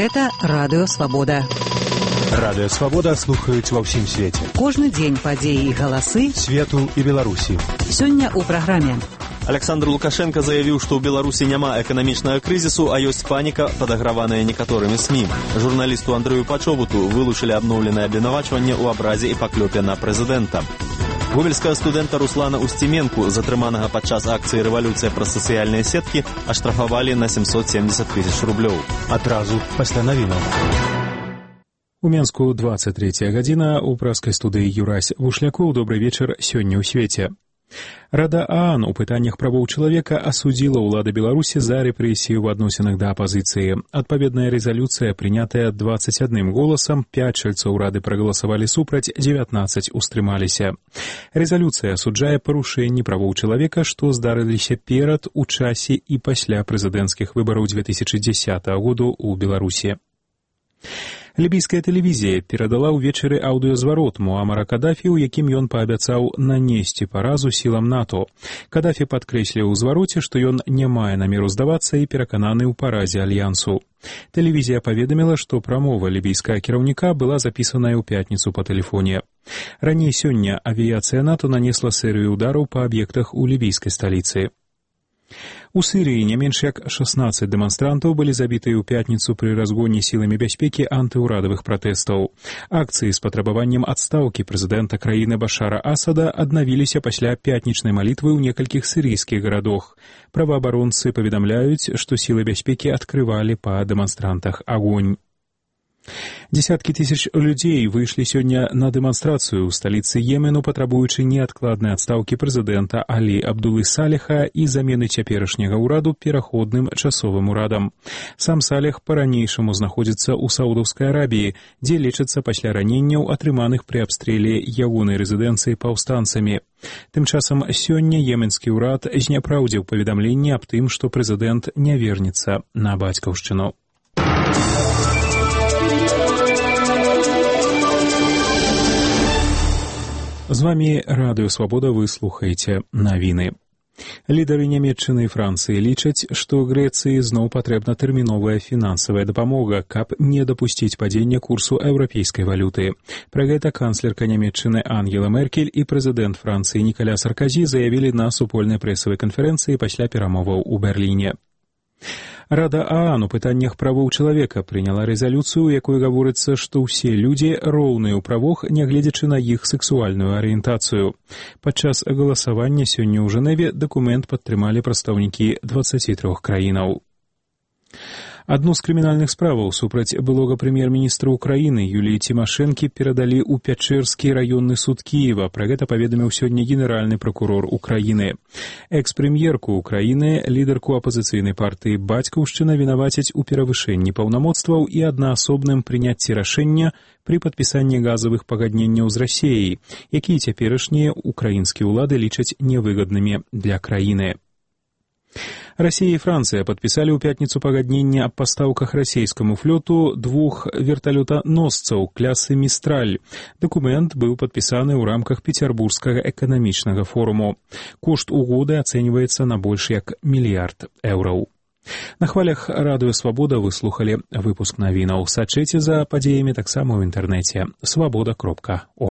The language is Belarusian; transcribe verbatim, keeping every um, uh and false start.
Гэта Радыё Свабода. Радыё Свабода слухаюць ва ўсім свеце. Кожны дзень падзеі і галасы свету і Беларусі. Сёння ў праграме. Александр Лукашенко заявіў, што ў Беларусі няма эканамічнага крызісу, а ёсць паніка, падаграваная некаторымі СМІ. Журналісту Андрэю Пачобуту вылучылі абноўленае абвінавачванне ў абразе і паклёпе на прэзідэнта. Гомельскага студэнта Руслана Устименку, затрыманага падчас акцыі «Рэвалюцыя праз сацыяльныя сеткі», аштрафавалі на семьсот семьдесят тысяч рублёў. Адразу пасля навінаў. У Менску двадцать третья гадзіна, у праскай студыі Юрась Вушлякоў. Добрый вечар сёння ў свеце. Рада ААН у пытаннях правоў чалавека асудзіла ўлады Беларусі за рэпрэсію ў адносінах да апазіцыі. Адпаведная рэзалюцыя, прынятая двадцать одним голасам, пять чальцоў рады прагаласавалі супраць, девятнадцать устрымаліся. Рэзалюцыя асуджае парушэнні правоў чалавека, што здарыліся перад, у часе і пасля прэзідэнцкіх выбараў две тысячи десятого году ў Беларусі. Лібійская тэлевізія перадала ўвечары аўдыёзварот Муамара Кадафі, у якім ён паабяцаў нанесці паразу сілам НАТО. Кадафі падкрэсліў у звароце, што ён не мае намеру здавацца і перакананы ў паразе альянсу. Тэлевізія паведаміла, што прамова лібійскага кіраўніка была запісаная ў пятніцу па тэлефоне. Раней сёння авіяцыя НАТО нанесла серыю удараў па аб'ектах у лібійскай сталіцы. У Сірыі не менш як шестнадцать дэманстрантаў былі забітыя ў пятніцу пры разгоне сіламі бяспекі антыўрадавых пратэстаў. Акцыі з патрабаваннем адстаўкі прэзідэнта краіны Башара Асада аднавіліся пасля пятнічнай малітвы ў некалькіх сірыйскіх гарадах. Праваабаронцы паведамляюць, што сілы бяспекі адкрывалі па дэманстрантах агонь. Десяткі тысяч людзей выйшлі сёння на дэманстрацыю ў сталіцы Йемену, патрабуючы неадкладнай адстаўкі прэзідэнта Алі Абдулы Салеха і замены цяперашняга ўраду пераходным часовым урадам. Сам Салех па-ранейшаму знаходзіцца ў Саудаўскай Арабіі, дзе лечыцца пасля раненняў, атрыманых пры абстрэле ягонай рэзідэнцыі паўстанцамі. Тым часам сёння йеменскі ўрад зняпраўдзіў паведамленне аб тым, што прэзідэнт не вернецца на бацькаўшчыну. З вамі Радыё Свабода, вы слухаеце навіны. Лідары Нямецчыны і Францыі лічаць, што Грэцыі зноў патрэбна тэрміновая фінансавая дапамога, каб не дапусціць падзення курсу еўрапейскай валюты. Пра гэта канцлерка Нямецчыны Ангела Меркель і прэзідэнт Францыі Нікаля Сарказі заявілі на супольнай прэсавай канферэнцыі пасля перамоваў у Берліне. Рада ААН у пытаннях правоў чалавека прыняла рэзалюцыю, у якой гаворыцца, што ўсе людзі роўныя ў правах, нягледзячы на іх сексуальную арыентацыю. Падчас галасавання сёння ў Жэневе дакумент падтрымалі прадстаўнікі дваццаці трох краінаў. Адну з крымінальных справаў супраць былога прэм'ер-міністра Украіны Юліі Цімашэнкі перадалі ў Пячэрскі раённы суд Кіева. Пра гэта паведаміў сёння генеральны пракурор Украіны. Экс-прэм'ерку Украіны, лідарку апазіцыйнай партыі «Бацькаўшчына» вінавацяць у перавышэнні паўнамоцтваў і аднаасобным прыняцці рашэння пры падпісанні газавых пагадненняў з Расіяй, якія цяперашнія украінскія ўлады лічаць невыгаднымі для краіны. Расія і Францыя падпісалі ў пятніцу пагадненне аб пастаўках расійскаму флоту двух верталётаносцаў класы «Містраль». Дакумент быў падпісаны ў рамках Пецярбургскага эканамічнага форуму. Кошт угоды ацэньваецца на больш як мільярд еўраў. На хвалях Радыё Свабода вы слухалі выпуск навінаў. Сачыце за падзеямі таксама ў інтэрнэце свабода кропка орг.